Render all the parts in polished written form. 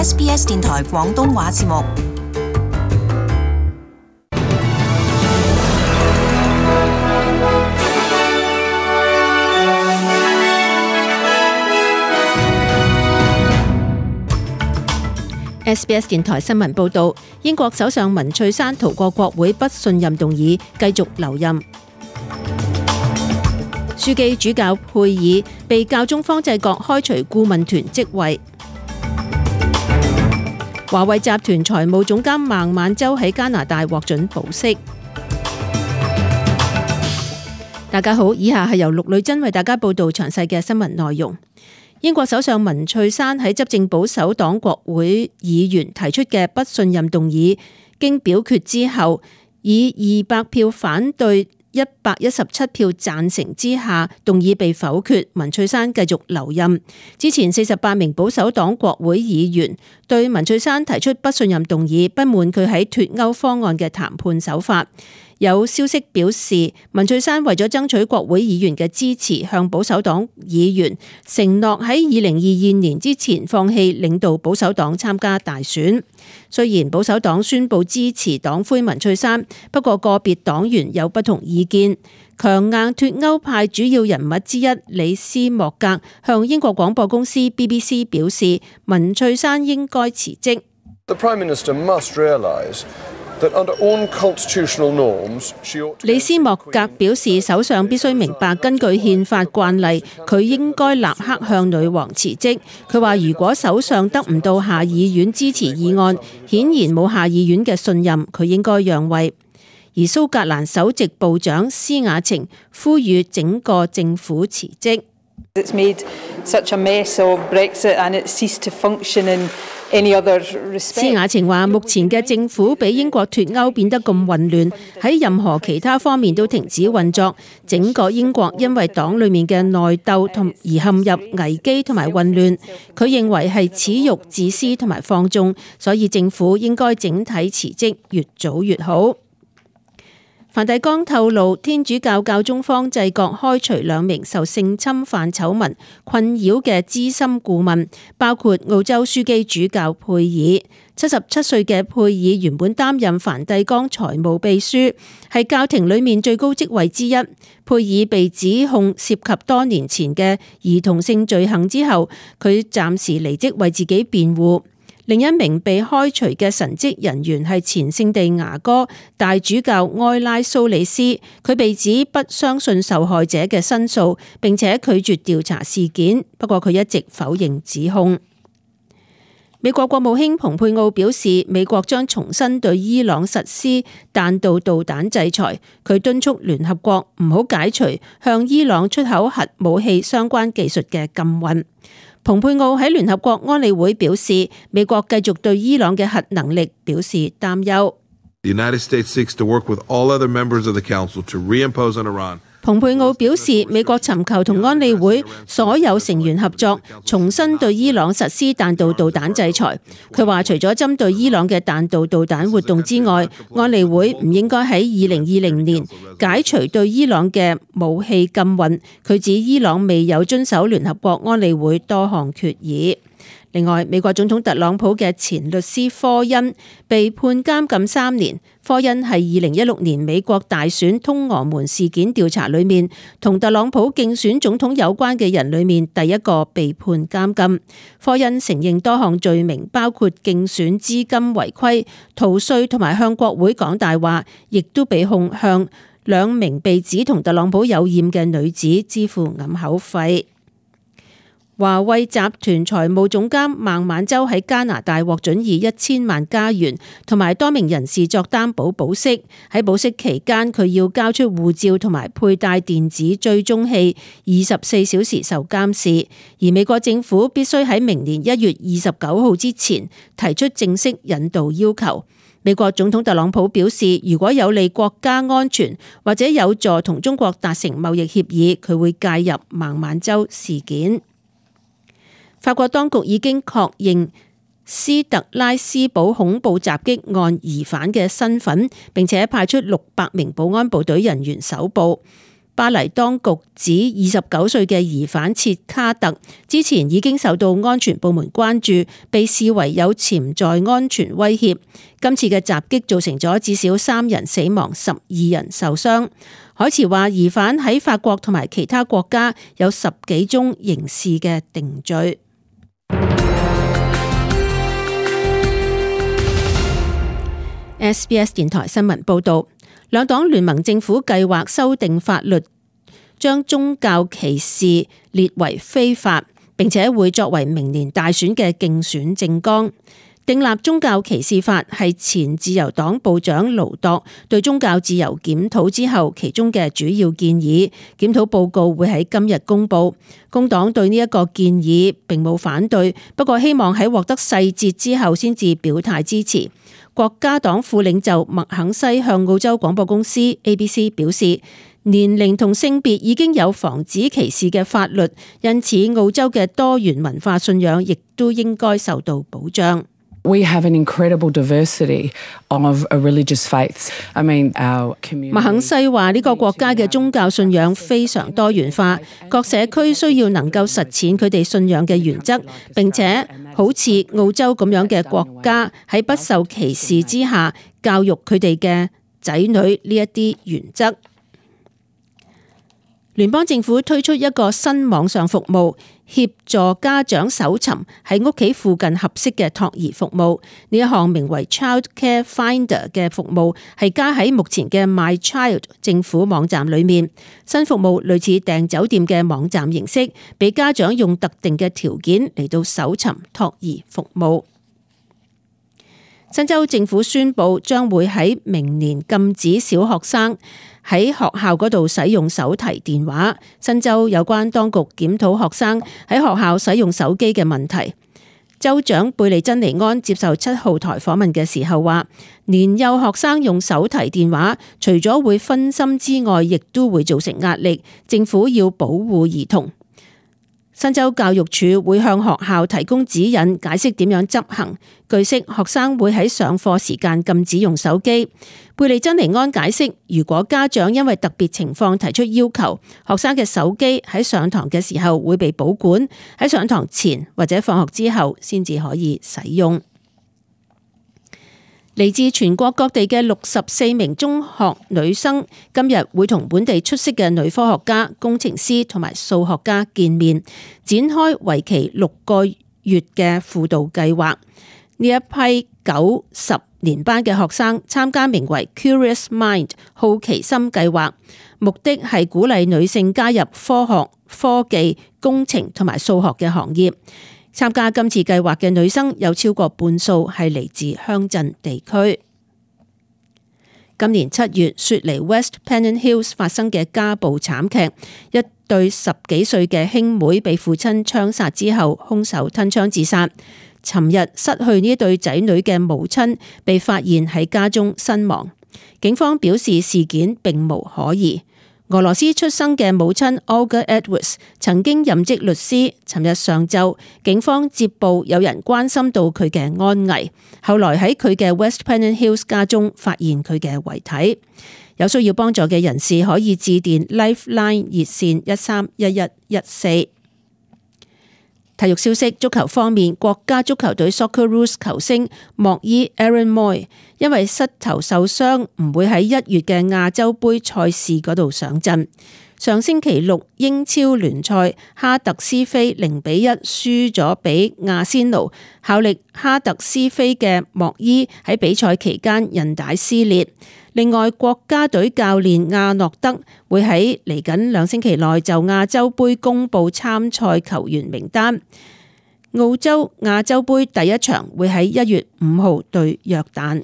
SBS 電台廣東話節目。SBS 電台新聞報導，英國首相文翠珊逃過國會不信任動議，繼續留任。樞機主教佩爾被教宗方濟各開除顧問團職位。華為集團財務總監孟晚舟喺加拿大獲准保釋。大家好，以下係由陸女珍為大家報道詳細嘅新聞內容。英國首相文翠珊喺執政保守黨國會議員提出嘅不信任動議，經表決之後，以200票反對、117票贊成之下，動議被否決，文翠珊繼續留任。之前48名保守黨國會議員對文翠珊提出不信任動議，不滿佢喺脫歐方案嘅談判手法。有消息表示，文翠珊為咗爭取國會議員嘅支持，向保守黨議員承諾喺2022年之前放棄領導保守黨參加大選。雖然保守黨宣布支持黨魁文翠珊，不過個別黨員有不同意見。強硬脫歐派主要人物之一李斯莫格向英國廣播公司 BBC 表示，文翠珊應該辭職。李斯莫格表示，首相必須明白，根據憲法慣例，佢應該立刻向女王辭職。佢話，如果首相得唔到下議院支持議案，顯然冇下議院嘅信任，佢應該讓位。而蘇格蘭首席部長施雅晴呼籲整個政府辭職。施雅晴話：目前嘅政府比英國脫歐變得咁混亂，喺任何其他方面都停止運作。整個英國因為黨裡面嘅內鬥而陷入危機同埋混亂。佢認為係恥辱、自私同埋放縱，所以政府應該整體辭職，越早越好。梵蒂岡透露，天主教教宗方濟各開除2名受性侵犯醜聞困擾嘅資深顧問，包括澳洲樞機主教佩爾。77歲嘅佩爾原本擔任梵蒂岡財務秘書，係教廷裡面最高職位之一。佩爾被指控涉及多年前嘅兒童性罪行之後，佢暫時離職為自己辯護。另一名被開除嘅神職人員係前聖地牙哥大主教埃拉蘇里斯，佢被指不相信受害者嘅申訴，並且拒絕調查事件。不過佢一直否認指控。美國國務卿蓬佩奧表示，美國將重新對伊朗實施彈道導彈制裁。佢敦促聯合國唔好解除向伊朗出口核武器相關技術嘅禁運。蓬佩奧喺聯合國安理會表示，美國繼續對伊朗嘅核能力表示擔憂。蓬佩奧表示，美國尋求同安理會所有成員合作，重新對伊朗實施彈道導彈制裁。佢話，除咗針對伊朗嘅彈道導彈活動之外，安理會唔應該喺2020年解除對伊朗嘅武器禁運。佢指伊朗未有遵守聯合國安理會多項決議。另外，美國總統特朗普嘅前律師科恩被判監禁3年。科恩係2016年美國大選通俄門事件調查裏面同特朗普競選總統有關嘅人裏面第一個被判監禁。科恩承認多項罪名，包括競選資金違規、逃稅同埋向國會講大話，亦都被控向2名被指同特朗普有染嘅女子支付掩口費。華為集團財務總監孟晚舟喺加拿大獲准以1000萬加元同埋多名人士作擔保保釋。喺保釋期間，佢要交出護照同埋佩戴電子追蹤器，24小時受監視。而美國政府必須喺明年1月29號之前提出正式引渡要求。美國總統特朗普表示，如果有利國家安全或者有助同中國達成貿易協議，佢會介入孟晚舟事件。法國當局已經確認斯特拉斯堡恐怖襲擊案疑犯嘅身份，並且派出600名保安部隊人員搜捕。巴黎當局指29歲嘅疑犯切卡特之前已經受到安全部門關注，被視為有潛在安全威脅。今次嘅襲擊造成咗至少3人死亡，12人受傷。海茨話疑犯喺法國同埋其他國家有10幾宗刑事嘅定罪。SBS 電台新聞報道，兩黨聯盟政府計劃修訂法律，將宗教歧視列為非法，並且會作為明年大選嘅競選政綱。訂立宗教歧視法係前自由黨部長盧朵對宗教自由檢討之後其中嘅主要建議。檢討報告會喺今日公布。工黨對呢一個建議並冇反對，不過希望喺獲得細節之後先至表態支持。國家黨副領袖麥肯西向澳洲廣播公司 ABC 表示，年齡同性別已經有防止歧視嘅法律，因此澳洲嘅多元文化信仰亦都應該受到保障。We have an incredible diversity of religious faiths. Our community. 麥肯西話：呢個國家嘅宗教信仰非常多元化，各社區需要能夠實踐佢哋信仰嘅原則，並且好似澳洲咁樣嘅國家喺不受歧視之下教育佢哋嘅仔女呢一啲原則。聯邦政府推出一個新網上服務，協助家長搜尋喺屋企附近合適嘅托兒服務。呢一項名為 Child Care Finder 嘅服務係加喺目前嘅 My Child 政府網站裏面。新服務類似訂酒店嘅網站形式，俾家長用特定嘅條件嚟到搜尋托兒服務。新州政府宣布將會喺明年禁止小學生喺學校嗰度使用手提電話。新州有關當局檢討學生喺學校使用手機嘅問題。州長貝利珍尼安接受7號台訪問嘅時候話，年幼學生用手提電話除咗會分心之外，亦都會造成壓力。政府要保護兒童。新州教育署會向學校提供指引，解釋點樣執行。據悉，學生會喺上課時間禁止用手機。貝利珍尼安解釋，如果家長因為特別情況提出要求，學生嘅手機喺上堂嘅時候會被保管，喺上堂前或者放學之後先至可以使用。嚟自全國各地嘅64名中學女生今日會同本地出色嘅女科學家、工程師同埋數學家見面，展開為期6個月嘅輔導計劃。呢一批9、10年班嘅學生參加名為 Curious Mind 好奇心計劃，目的係鼓勵女性加入科學、科技、工程同埋數學嘅行業。參加今次計劃嘅女生有超過半數係嚟自鄉鎮地區。今年7月，雪梨 West Pennant Hills 發生嘅家暴慘劇，一對10幾歲嘅兄妹被父親槍殺之後，兇手吞槍自殺。尋日失去呢對仔女嘅母親被發現喺家中身亡。警方表示事件並無可疑。俄羅斯出生嘅母親 Olga Edwards 曾經任職律師。尋日上晝，警方接報有人關心到佢嘅安危，後來喺佢嘅 West Pennant Hills 家中發現佢嘅遺體。有需要幫助嘅人士可以致電 Lifeline 熱線131114。體育消息，足球方面，國家足球隊 Socceroos 球星莫伊 Aaron Mooy 因為膝頭受傷，唔會喺1月嘅亞洲杯賽事嗰度上陣。上星期6英超聯賽，哈特斯菲0-1輸咗俾亞仙奴。效力哈特斯菲嘅莫伊喺比賽期間韌帶撕裂。另外，國家隊教練亞諾德會喺嚟緊2星期內就亞洲杯公布參賽球員名單。澳洲亞洲杯第一場會喺1月5號對約旦。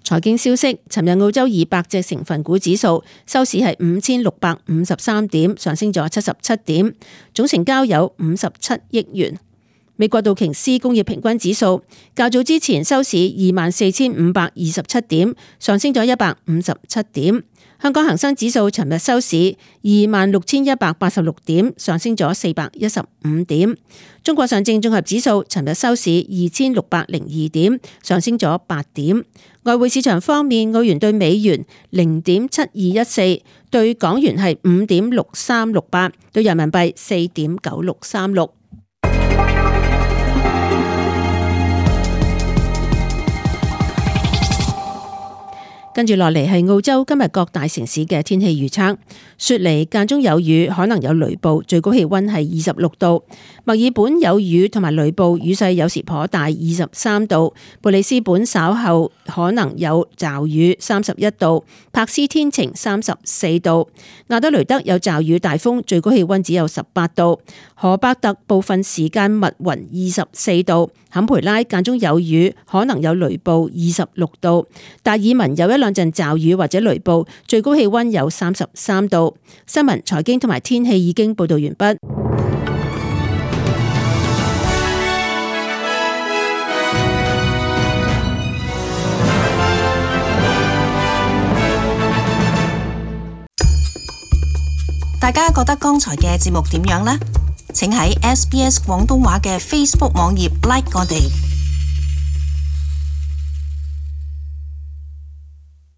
財經消息，尋日澳洲200隻成分股指數收市係5653點，上升咗77點，總成交有57億元。美國道瓊斯工業平均指數較早之前收市24,527點，上升咗157點。香港恒生指數尋日收市26,186點，上升咗415點。中國上證綜合指數尋日收市2,602點，上升咗8點。外匯市場方面，澳元對美元0.7214，對港元係5.6368，對人民幣4.9636。跟住落嚟係澳洲今日各大城市嘅天氣預測。雪梨間中有雨，可能有雷暴，最高氣溫係26度。墨爾本有雨同埋雷暴，雨勢有時頗大，23度。布里斯本稍後可能有驟雨，31度。柏斯天晴，34度。亞德雷德有驟雨大風，最高氣溫只有18度。荷伯特部分時間密雲，24度。坎培拉間中有雨，可能有雷暴，26度。達爾文有一兩陣驟雨或者雷暴，最高氣溫有33度。新聞、財經同埋天氣已經報道完畢。大家覺得剛才嘅節目點樣呢？請喺SBS 廣東話嘅 Facebook 網頁 like 我哋。